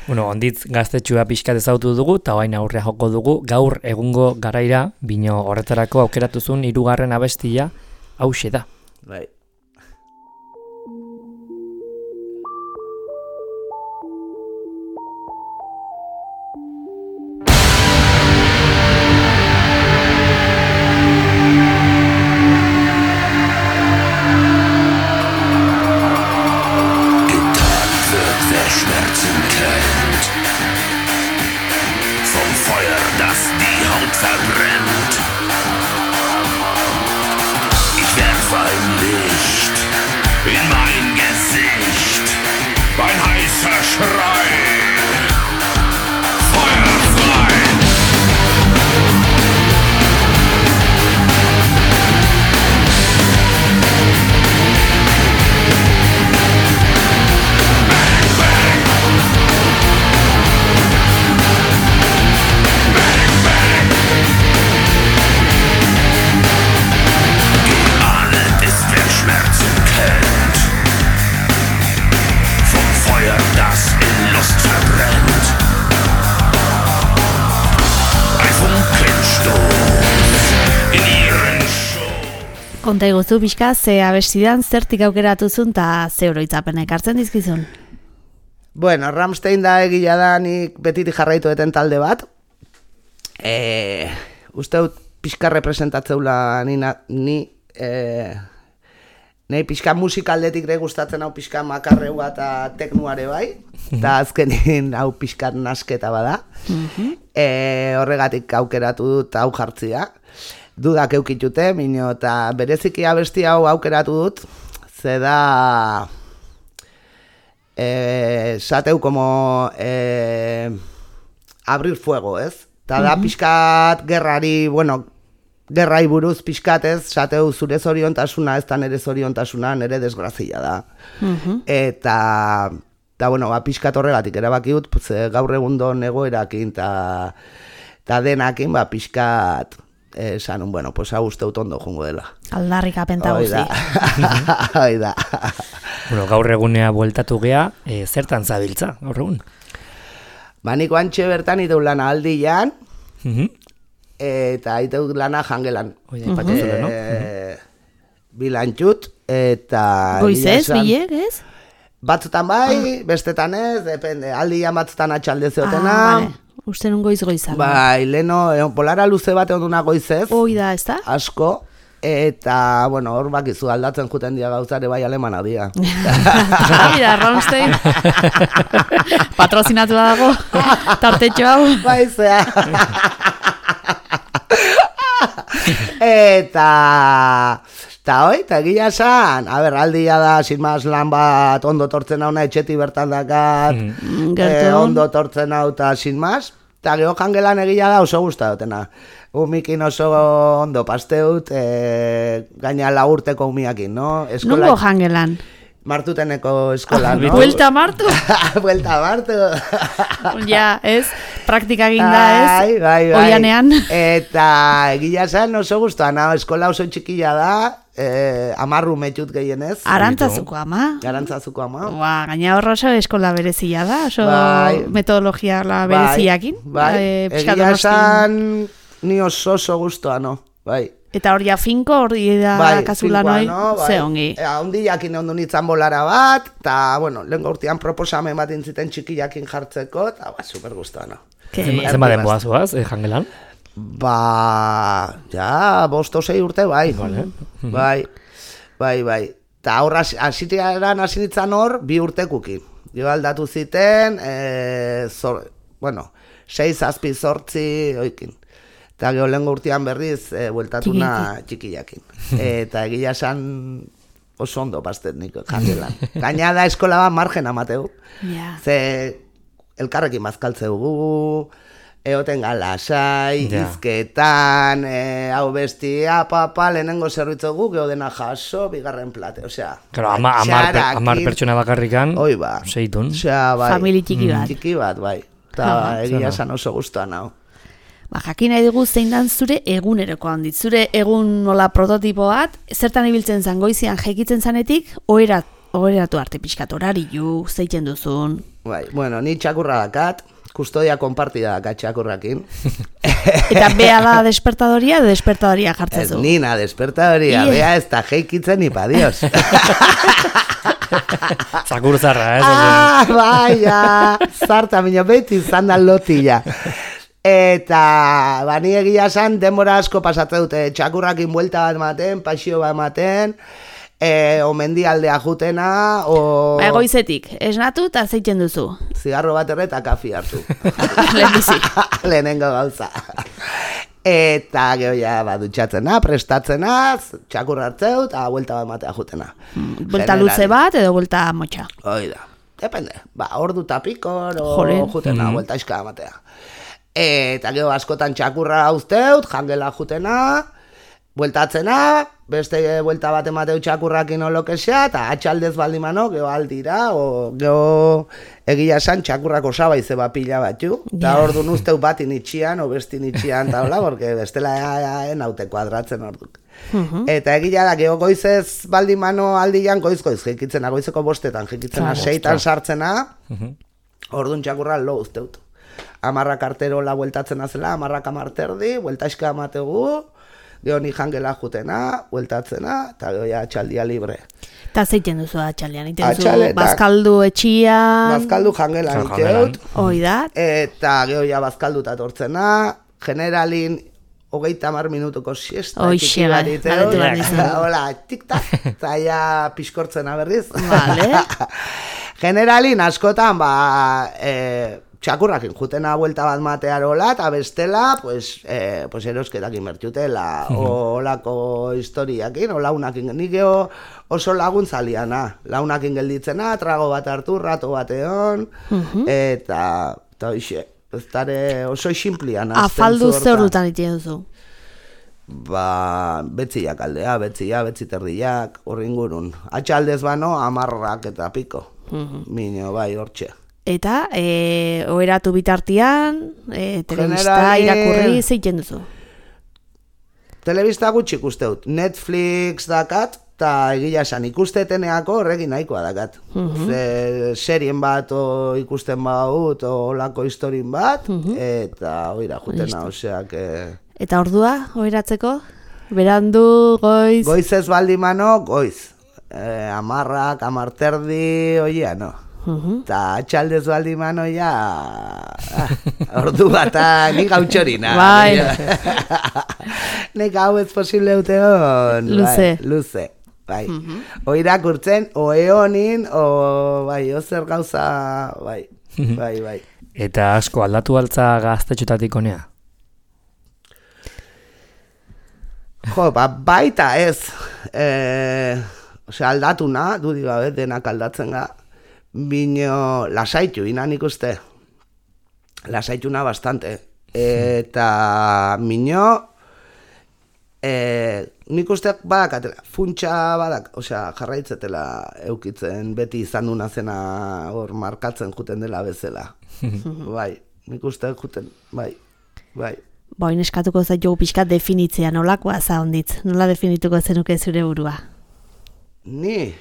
Bueno, onditz gaztetxua pixkat ezautu dugu, eta baina aurrea joko dugu, gaur egungo garaira, bino horretarako aukeratuzun 3. abestia, hauxe da. Bai. Konta iguzu pixka, ze abestidan zertik aukeratuzun eta ze oroitzapen ekartzen dizkizun? Bueno, Rammstein da egia da nik betitik jarraitu eten talde bat. Usteut pixka representatzeula ni pixka musikaldetik gustatzen hau pixka makarreua eta teknuare bai, eta azkenin hau pixka nasketa bada. Horregatik aukeratu dut hau jartzia. Dudak eukitute, minio, eta bereziki abesti hau aukeratu dut, ze da sateu como abrir fuego, ez? Eta da pixkat gerrari, gerrai buruz pixkatez, sateu zure zoriontasuna, ez da nere zoriontasuna, nere desgrazia da. Eta pixkat horregatik erabakiut, gaur egundo egoerakin, eta denakin, pixkat, esanun, hau usteut ondo jungo dela. Aldarrik apenta guzi. Hoi da. Gaur egunea bueltatu gea, zertan zabiltza, gaur egun? Niko antxe bertan iteu lana aldian, eta iteu lana jangelan. Bilantxut, eta... Goizez, bilek, ez? Batzutan bai, bestetan ez, depende, aldian batzutan atxalde zeotena. Vale. Uste nun goizan. Bai, leno, polara luze bat onduna goizez. Da, ez da? Asko. Eta, hor bakizu aldatzen juten dia gauzare bai alemana dia. Mira, Ronstein. Patrozinatu dago, tartetxo hau. Bai, zea. Eta egia esan, aldia da, sin más lan bat ondo tortzen hauna etxeti bertan dakat, ondo tortzen hau eta sin más, eta geho jangelan egia da oso guzta dutena. Umikin oso ondo pasteut, gaina lagurteko umiakin, no? Nungo jangelan? Martuteneko eskola, no? Buelta martu? Buelta martu. Ja, ez? Praktika ginda, ez? Bai. Oianean. Eta egia zen oso guztuan, eskola oso txikila da, 10 metxut gehienez. Arantzazuko ama? Arantzazuko ama. Gaina horro oso eskola berezia da, oso metodologia bereziakin. Bai, egia zen ni oso guztua, no? Bai. Eta hori finko, hori da kasula noi, ze ongi. Ondi jakin ondu nintzen bolara bat, eta, lehen gaurtian proposamen bat intziten txikiakin jartzeko, eta, super guztua, no? Zen baden boazuaz, jangelan? Ja, 5-6 urte, bai. Bai. Eta horra, asitiaran hasi nintzen hor, 2 urtekukin. Jo aldatu ziten, 6-8 oikin. Eta geho lehen urtean berriz, bueltatuna txikiakin. Eta egia esan oso ondo pastet nik jangelan. Gaina da eskola bat margen amateu. Ze elkarrekin bazkaltzeu gu, eoten galasai, izketan, hau bestia, papa, lehenengo zerbitzu gu, geho dena jaso, bigarren plate, osea. Claro, 10 pertsona bakarrikan, seitun. Famili txiki bat. Txiki bat, bai. Eta egia esan oso guztuan hau. Jakin nahi dugu zein dan zure eguneroko handit. Zure egun nola prototipo bat, zertan ibiltzen zan goizian jekitzen zanetik, oheratu arte pixkat horariu, zeiten duzun. Bai, ni txakurra dakat, kustodia konpartida dakat txakurrakin. Eta bea da despertadoria edo despertadoria jartzen zu? Ez nina despertadoria, bea ez da jekitzen ipa dios. Zakur zarra, ez? Bai, zarta minio beti izan da lotila. Eta, ni egia esan, denbora asko pasatzen dute, txakurrakin buelta bat ematen, pasio bat ematen, omendialdea jutena, Goizetik, esnatu eta zeiten duzu? Zigarro bat eta kafi hartu. Lehenbizi. Lehenengo gauza. Eta geho ja, dutxatzena, prestatzena, txakurra hartzeu, eta buelta bat ematea jutena. Buelta luze bat edo buelta motxa? Oida, depende, ordu tapikor, jutena, buelta iska ematea. Eta gero askotan txakurra hauzteut, jangela jutena, bueltatzena, beste buelta bat emateu txakurrakin olokesea, eta atxaldez baldimano, gero aldira, gero egia esan txakurrak osaba izeba pila batzu, eta ordu nuzteu batin itxian, o bestin itxian, eta hola, porque bestela naute kuadratzen orduk. Eta egia da, gero goizez baldimano aldian, goiz jekitzena, goizeko 5 jekitzena, 6 sartzena, ordun txakurra lo uzteut. 10 karterola bueltatzen azela, 10 amarterdi, bueltaizka amategu, gero ni jangela jutena, bueltatzena, eta gero ja atxaldia libre. Eta zeiten duzu atxaldian, iten duzu bazkaldu etxian... Bazkaldu jangelan iteut. Oida. Eta gero ja bazkaldu tatortzena, generalin 30 minutuko siesta. Oixe, galetu behar dizun. Hola, tik-tak, eta ja piskortzena berriz. Vale. Generalin askotan, txakurrakin jutena buelta bat matearola, eta bestela, erosketakin bertxutela, olako historiakin, o launakin, nik oso laguntzaliana, launakin gelditzena, trago bat hartu, rato bateon, eta hoxe, ez dare oso ximplian. Afaldu zer ordutan iten duzu? Ba, betziak aldea, betzi terdiak, horringurun. Atxaldez bano, 10 eta piko. Mino, bai, hortxe. Eta, oheratu bitartian, telebista, irakurri, zeiten duzu? Telebista gutxi ikusteut. Netflix dakat, eta egia esan ikusteteneako horrekin nahikoa dakat. Serien bat ikusten baut, olako historin bat, eta oira jutena, oseak... Eta ordua, oheratzeko? Berandu, goiz? Goiz ez baldimano, goiz. 10, 10:30, oia, no. Eta atxaldez baldimano, ja... Ordu bat, nik hau txorina. Bai. Nik hau ez posible uteon. Luze. Bai, luze. Bai. Oirak urtzen, eonin, bai, ozer gauza, bai. Bai. Eta asko aldatu altza gaztetxotatik honea? Jo, baita ez. Aldatu na, dudik gabe, denak aldatzen ga. Bino, lasaitu, inan ikuste. Lasaitu na bastante. Eta, mino, nik usteak badakatela, funtsa badak, jarraitzetela eukitzen, beti izan duna zena hor markatzen juten dela bezala. Bai, nik usteak juten, bai. Boin eskatuko zaitu pixkat definitzea nolakoa za onditz, nola definituko zenuke zure burua? Ni?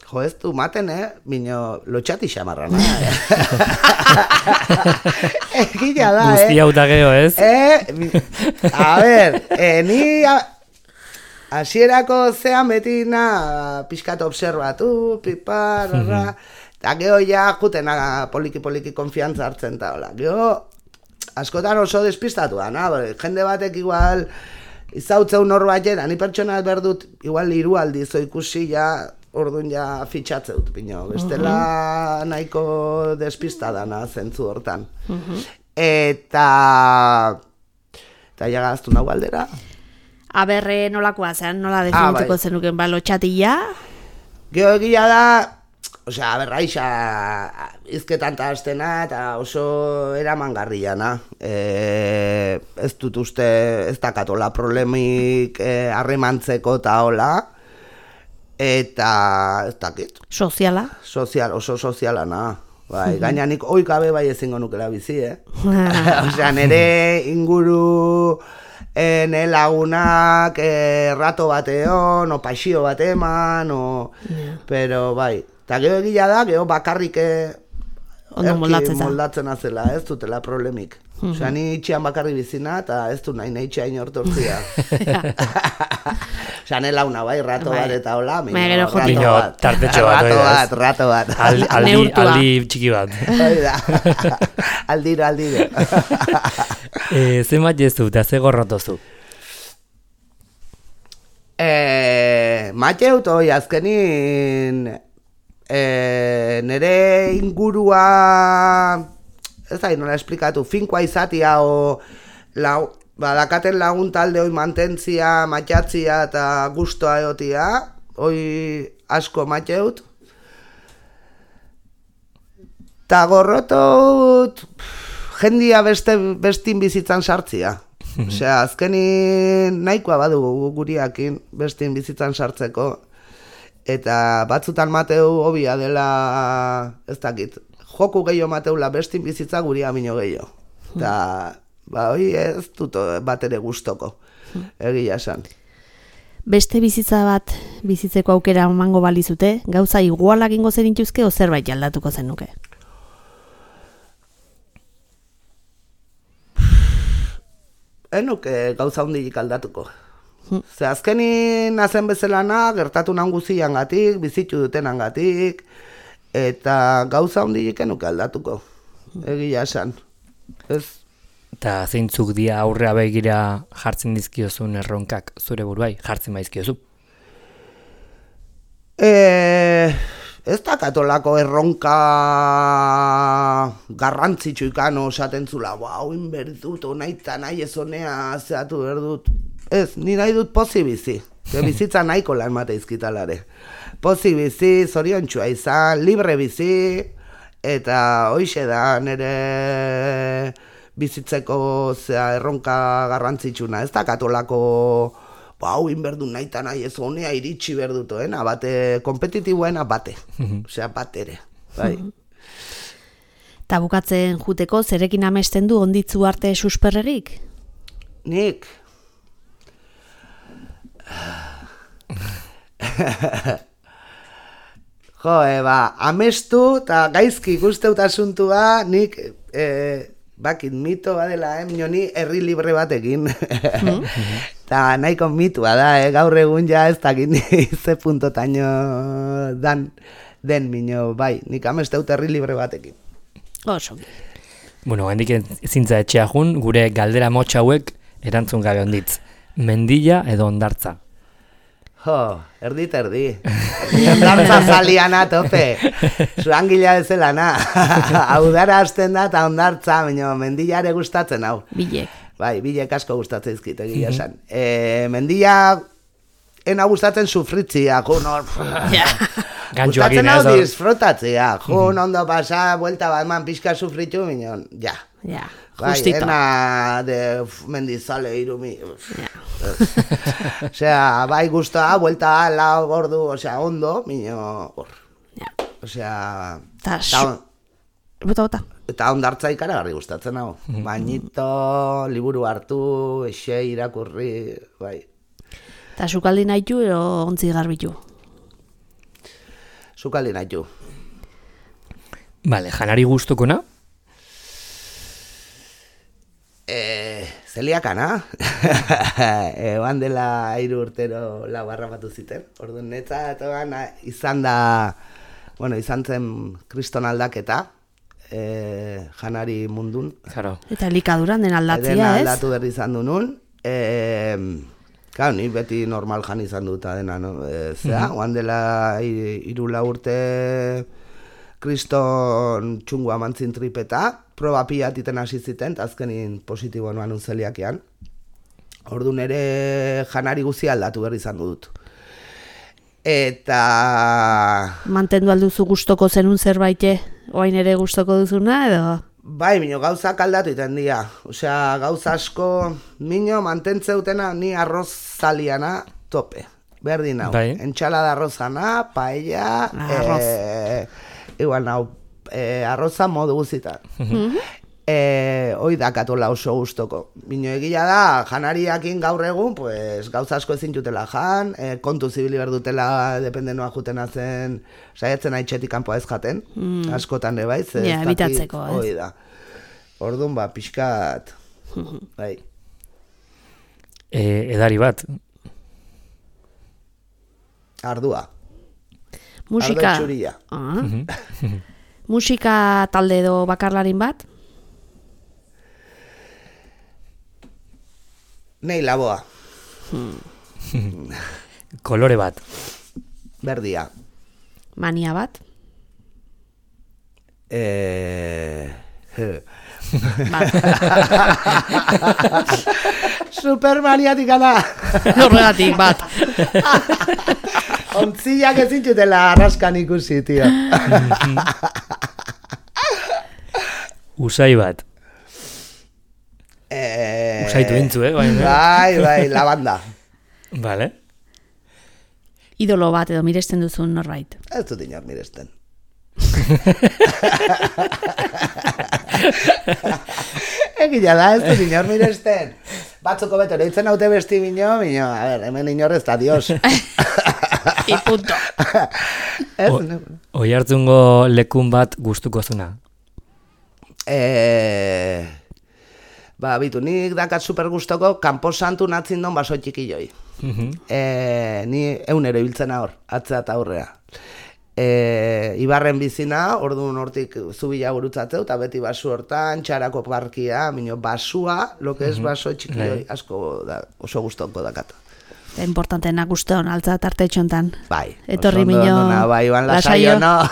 Jo, ez du maten, Bino, lotxati xamarra, Egila da, Guzti hau da geho, ez? A ber, ni hasierako zean beti pixkat observatu, pipar, eta geho ja jutena poliki konfiantza hartzen eta hola. Geho, askotan oso despistatua, jende batek igual izautzeu norbait, ni pertsona berdut igual 3 aldiz ikusi ja, orduan ja fitxatzeut, pino. Bestela nahiko despistada zentzu hortan. Eta ja gaztu nahu aldera. Aberre nolakoa zen, nola definituko zenuken lotxatila? Geho egia da, berraixa izketan eta hastena eta oso eramangarriana. Ez dut uste, ez dakatola problemik harremantzeko eta hola. Eta, ez dakit. Soziala? Oso soziala, Bai, gaina nik oikabe bai ezingo nukela bizi, nere inguru... ne lagunak rato bateon, o paixio bat eman, pero bai, eta geho egila da, geho bakarrik moldatzen azela, ez dutela problemik. Ni itxian bakarri bizina, eta ez du nahi itxia inortortzia. Ne launa bai, rato bat eta hola, rato bat. Aldi txiki bat. Aldiro. Ze matiezu eta ze gorrotozu? Mateut hoi azkenin nere ingurua, ez da, nola esplikatu, finkoa izatia badakaten lagun talde hoi mantentzia, matxatzia eta gustoa egotia, hoi asko mateut. Ta gorrotut jendia bestin bizitzan sartzia. Azkenin nahikoa badugu guriakin bestin bizitzan sartzeko. Eta batzutan mateu hobia dela, ez dakit, joku gehiago mateula bestin bizitza guria mino gehiago. Eta, hoi ez dut bat ere gustoko, egia esan. Beste bizitza bat bizitzeko aukera emango balizute, gauza igualak ingo zenituzke o zerbait aldatuko zenuke? Enuke gauza hundilik aldatuko. Ze azkenin nazen bezalana, gertatu nan guziangatik, bizitu dutenangatik, eta gauza hundilik enuke aldatuko. Egia esan. Eta zeintzuk dia aurrea begira jartzen dizkiozun erronkak zure buruai, jartzen baizkiozu? Ez da katolako erronka garrantzitsu ikano esaten zula, hauin berdut, nahi eta nahi ez honea zehatu berdut. Ez, ni nahi dut pozi bizi. Bizitza nahiko lan mate izkitalare. Pozi bizi, zoriontxua izan, libre bizi, eta hoixe da nire bizitzeko erronka garrantzitsuna, ez da katolako hau inberdu nahi eta nahi ez honea iritsi berdutoena, bate kompetitiboena bate, osea bat ere, bai. Eta bukatzen juteko, zerekin amesten du Onditzu Arte susperregik? Nik? Jo, amestu eta gaizki ikusteut asuntua, nik bakit mito badela, ni herri libre batekin. Eta nahiko mitua da, gaur egun ja ez dakit ze puntotaino den mino, bai, nik amesteut herri libre batekin. Oso. Bueno, hendik ezintza etxea jun, gure galdera motxa hauek erantzun gabe Onditz. Mendilla edo hondartza? Jo, erdi. Hondartza zaliana tope. Zuangila bezalana. Udara hasten da eta hondartza, baina Mendilla ere gustatzen hau. Bilek. Bai, bilek asko gustatzen izkit, egia esan. Mendilla ena gustatzen sufritzia, jun gustatzen hau disfrutatzea, jun ondo pasa, buelta bat man pixka sufritu, minon, ja. Ja, bai, justito. ena de mendizale irumi. Osea, bai guztua, buelta lau gordu, osea, ondo, mino, hor. Osea, Bota. eta hondartza ikaragarri gustatzen hau. Bainito, liburu hartu, exe irakurri, bai. Eta sukaldi nahitu edo ontzi garbitu? Sukaldi nahitu. Vale, janari guztukona? Zeliakana. Eban dela 3 urtero lau harrapatu ziten. Orduan netzat izan zen kriston aldaketa. Janari mundun. Claro. Eta elikaduran den aldatzia, ez? Dena aldatu berri izan du nun. Ni beti normal jan izan duta dena, no? Oan dela 3-4 urte kriston txungua mantzin tripeta, proba pila titen hasi ziten, eta azkenin positibo noan unzeliakean. Orduan ere janari guzi aldatu berri izan dut. Eta... Mantendu alduzu gustoko zenun zerbaite, oain ere gustoko duzuna, edo? Bai, mino gauzak aldatu iten dira. Osea, gauza asko, mino mantentzeutena ni arroz zaliana tope. Berdin hau. Bai. Entxalada arrozana, paella, igual nau, arroza modu guzitan. Hoi dakatola oso gustoko. Bino egia da, janariakin gaur egun, pues, gauza asko ezin jutela jan, kontu zibili berdutela dependenoa jutena zen, saiatzen haitxetik kanpoa ez jaten, askotan ere bai, Ja, ebitatzeko, ez? Hoi da. Orduan pixkat, bai. Edari bat? Ardua. Musika. Ardo txuria. Musika talde edo bakarlarin bat? Nei laboa. Kolore bat? Berdia. Mania bat? Supermaniatikana. Horregatik bat. Ontziak ezin zutela arraskan ikusi, tio. Usai bat? Usaitu intzu, Bai, lavanda. Vale. Idolo bat edo miresten duzun norbait? Ez dut inor miresten. Egia da, ez dut inor miresten. Batzuko beto, leitzen haute besti bino, a ver, hemen inor ez da, dios. I punto. Oi hartzungo lekun bat gustuko zuna? Bitu, nik dakat super gustoko kanposantu natzin don baso txikilloi. Ni eunero ibiltzen hor, atzea eta aurrea. Ibarren bizina, orduan hortik zubila gurutzatzeu, eta beti basu hortan, txarako parkia, minio basua, lo que es baso txikilloi, asko da, oso gustoko dakat. Importanteena guztion, altza tarte txontan. Bai. Etorri minio. Bai, Iban Lasaio, no?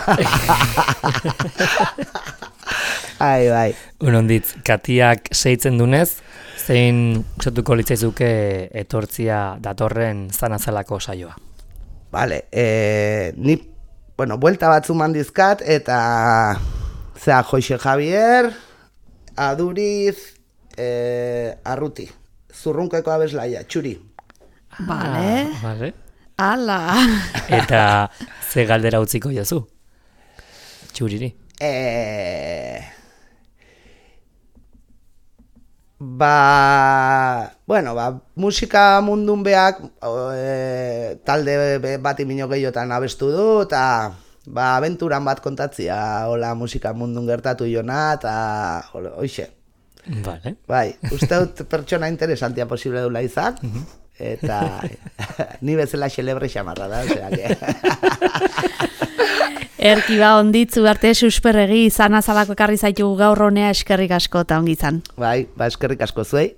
Bai. Onditz, Katiak seitzen dunez, zein usatuko litzaizuke etortzia datorren zanazalako saioa? Vale, ni, buelta batzu mandizkat, eta Zea, Joxe Javier, Aduriz, Arruti. Zurrunkeko abeslaia, Txuri. Vale. Vale. Ala. Eta ze galdera utziko jozu? Txuriri. Musika mundun beak talde bati minio gehiotan abestu du, eta abenturan bat kontatzia, hola musika mundun gertatu jona, eta hoxe. Vale. Bai, uste dut pertsona interesantia posible dula izan, eta ni bezala xelebre xamarra da, osea que... Erki onditzu arte susperregi izan azalako ekarri zaitu gaur honea eskerrik asko eta ongi izan. Bai, eskerrik asko zuei.